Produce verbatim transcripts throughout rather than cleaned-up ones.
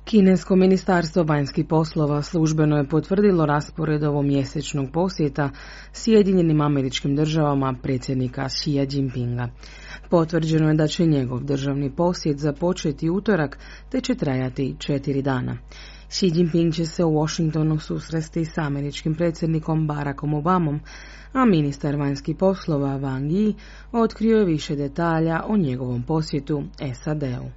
Kinesko ministarstvo vanjskih poslova službeno je potvrdilo raspored ovomjesečnog posjeta Sjedinjenim Američkim Državama predsjednika Xi Jinpinga. Potvrđeno je da će njegov državni posjet započeti utorak te će trajati četiri dana. Xi Jinping će se u Washingtonu susresti s američkim predsjednikom Barackom Obamom, a ministar vanjskih poslova Wang Yi otkrio je više detalja o njegovom posjetu S A D-u.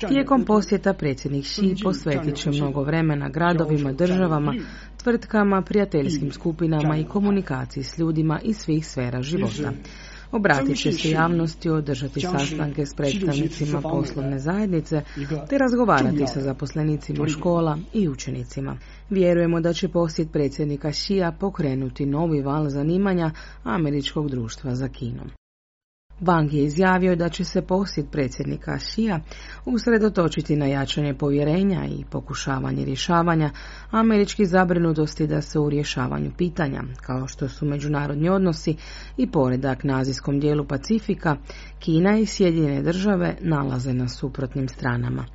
Tijekom posjeta predsjednik Xi posvetit će mnogo vremena gradovima, državama, tvrtkama, prijateljskim skupinama i komunikaciji s ljudima iz svih sfera života. Obratit će se javnosti, održati sastanke s predstavnicima poslovne zajednice te razgovarati sa zaposlenicima škola i učenicima. Vjerujemo da će posjet predsjednika Xija pokrenuti novi val zanimanja američkog društva za Kinom. Wang je izjavio da će se posjet predsjednika Xija usredotočiti na jačanje povjerenja i pokušavanje rješavanja američkih zabrinutosti da se u rješavanju pitanja, kao što su međunarodni odnosi i poredak na azijskom dijelu Pacifika, Kina i Sjedinjene Države nalaze na suprotnim stranama.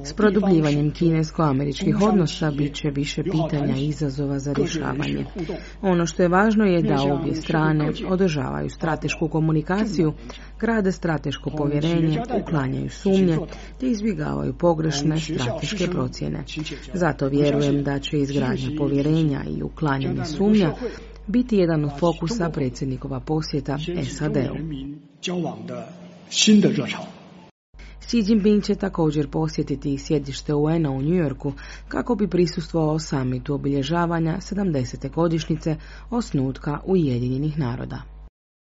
S produbljivanjem kinesko-američkih odnosa bit će više pitanja i izazova za rješavanje. Ono što je važno je da obje strane održavaju stratešku komunikaciju, grade strateško povjerenje, uklanjaju sumnje te izbjegavaju pogrešne strateške procjene. Zato vjerujem da će izgradnja povjerenja i uklanjanje sumnja biti jedan od fokusa predsjednikova posjeta S A D-u. Xi Jinping će također posjetiti sjedište U N-a u New Yorku kako bi prisustvovao samitu obilježavanja sedamdesete godišnjice osnutka Ujedinjenih naroda.